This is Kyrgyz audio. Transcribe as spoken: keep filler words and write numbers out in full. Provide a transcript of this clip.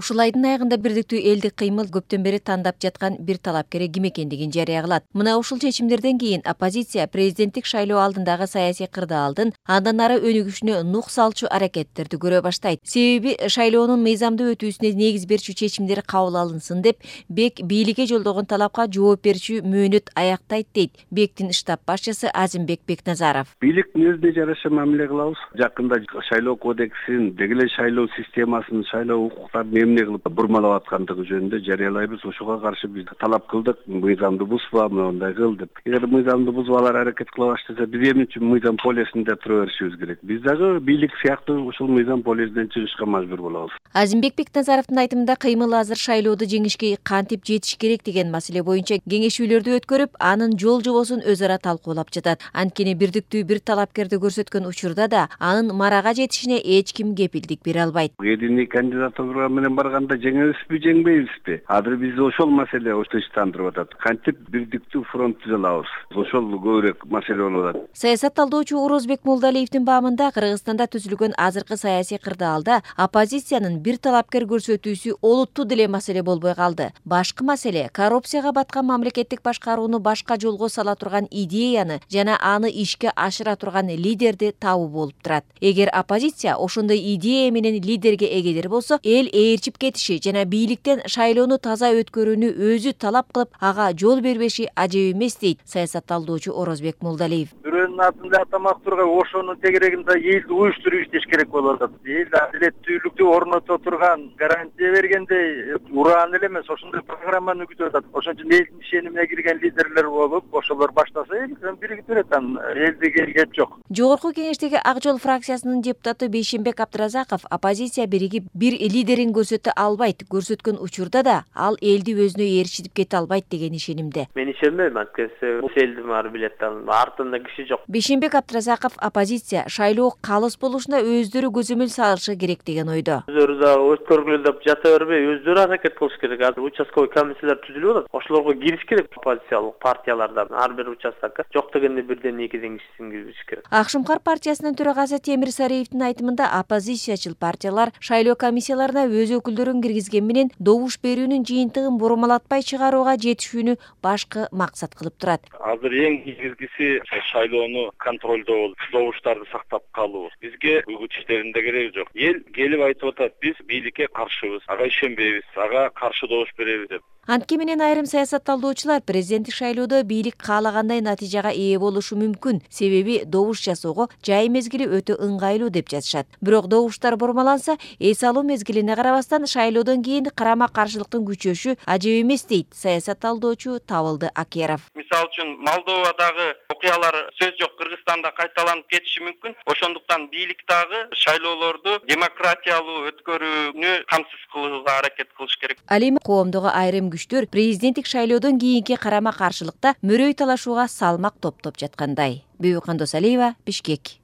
Ушул айдын аягында Бирдиктүү элдик кыймыл көптөн бери тандап жаткан бир талапкери ким экендигин жарыя кылат. Мына ушул чечимдерден кийин оппозиция президенттик шайлоо алдындагы саясий кырдаалдын андан ары өнүгүшүнө нук салчу аракеттерди көрө баштайт. Себеби шайлоонун мыйзамдуу өтүүсүнө негиз берчү чечимдер кабыл алынсын деп БЕК бийликке жолдогон талапка жооп берчү мөөнөт аяктайт дейт БЕКтин штаб башчысы Азимбек Бекназаров. Бийликтин өзүнө жараша мамиле кылабыз. Жакында шайлоо кодексин, деги эле шайлоо системасын, шайлоо укуктарын эмне кылып бурмалап аткандыгы жөнүндө жарыялайбыз. Ошого каршы биз талап кылдык. Мыйзамды бузба, мындай кыл деп. Эгер мыйзамды бузуп алар аракет кыла баштаса, биз эмне үчүн мыйзам полисинде тура беришибиз керек? Биз дагы бийлик сыяктуу ушул мыйзам полисинен чыгышка мажбур болобуз. Азимбек Бекназаровдун айтымында кыймыл азыр шайлоодо жеңишке кантип жетиш керек деген маселе боюнча кеңешүүлөрдү өткөрүп, анын жол жобосун өз ара талкуулап жатат. Анткени Бирдиктүү бир талапкерди көрсөткөн учурда да анын марага жетишине эч ким кепилдик бере албайт. Единый кандидатура менен барганда жеңебизби, жеңбейбизби? Азыр бизди ошол маселе тынчтандырып атат. Кантип Бирдиктүү фронт түзө алабыз? Ошол көбүрөөк маселе болуп атат. Саясат талдоочу Орозбек Молдалиевдин баамында Кыргызстанда түзүлгөн азыркы саясий кырдаалда оппозициянын бир талапкер көрсөтүүсү олуттуу деле маселе болбой калды. Башкы маселе коррупцияга баткан мамлекеттик башкарууну башка жолго сала турган идеяны жана аны ишке ашыра турган лидерди табуу болуп турат. Эгер оппозиция ошондой идея менен лидерге эгедер болсо, эл ээрчип кетиши жана бийликтен шайлоону таза өткөрүүнү өзү талап кылып, ага жол бербеши ажеп эмес дейт саясат талдоочу Орозбек Молдалиев. Бирөөнүн атында атамак турган ошонун тегерегинде элди уюштуруп иштеш керек болуп атат. Эл адилеттүүлүктү орното турган, гарантия бергендей ураан эле эмес, ошондой программаны күтүп атат. Ошон үчүн элдин ишенимине кирген лидерлер болуп, ошолор баштаса эл биригип берет, анан элдиге кеп жок. Жогорку кеңештеги Ак Жол фракциясынын депутаты Бейшенбек Абдыразаков оппозиция биригип бир лидерин көрсөтө албайт, көрсөткөн учурда да ал элди өзүнө ээрчитип кете албайт деген ишенимде. Мен ишенбейм, анткени бул элдин баары билет, артында киши жок. Бейшенбек Абдыразаков оппозиция шайлоо калыс болушуна өздөрү көзөмөл салышы керек деген ойдо. Өздөрү да өткөргүлө деп жата бербей, өздөрү аракет кылыш керек. Азыр участковый комиссиялар түзүлүп атат. Ошолорго кириш керек, оппозициялык партияларда ар бир участокко жок дегенде бирден экиден кишисин кириш керек. Акшумкар партиясынын төрагасы Темир Сариевдин айтымында оппозициячыл партиялар шайлоо комиссияларына өз өкүлдөрүн киргизген менен добуш берүүнүн жыйынтыгын бурмалатпай чыгарууга жетишүүнү башкы максат кылып турат. Азыр эң негизгиси шайлоону контролдоо болуп, добуштарды сактап калуу. Бизге үгүт иштеринде кереги жок. Эл келип айтып атат, биз бийликке каршыбыз, ага ишенбейбиз, ага каршы добуш беребиз деп. Антке менен айрым саясат талдоочулар президенттик шайлоодо бийлик каалагандай натыйжага ээ болушу мүмкүн, себеби добуш жасоого жай мезгили өтө ыңгайлуу деп жатышат. Бирок добуштар бурмаланса, эс алуу мезгилине карабастан шайлоодон кийин карама-каршылыктын күчөшү ажеп эмес дейт саясат талдоочу Табылды Акеров. Мисалы үчүн Молдовадагы окуялар сөз жок Кыргызстанда кайталанып кетиши мүмкүн. Ошондуктан бийлик дагы шайлоолорду демократиялуу өткөрүүнү камсыз кылууга аракет кылыш керек. Ал эми коомдогу айрым күчтөр президенттик шайлоодон кийинки карама-каршылыкта мөрөй талашууга салмак топтоп жаткандай. Бүйүкан Досалиева, Бишкек.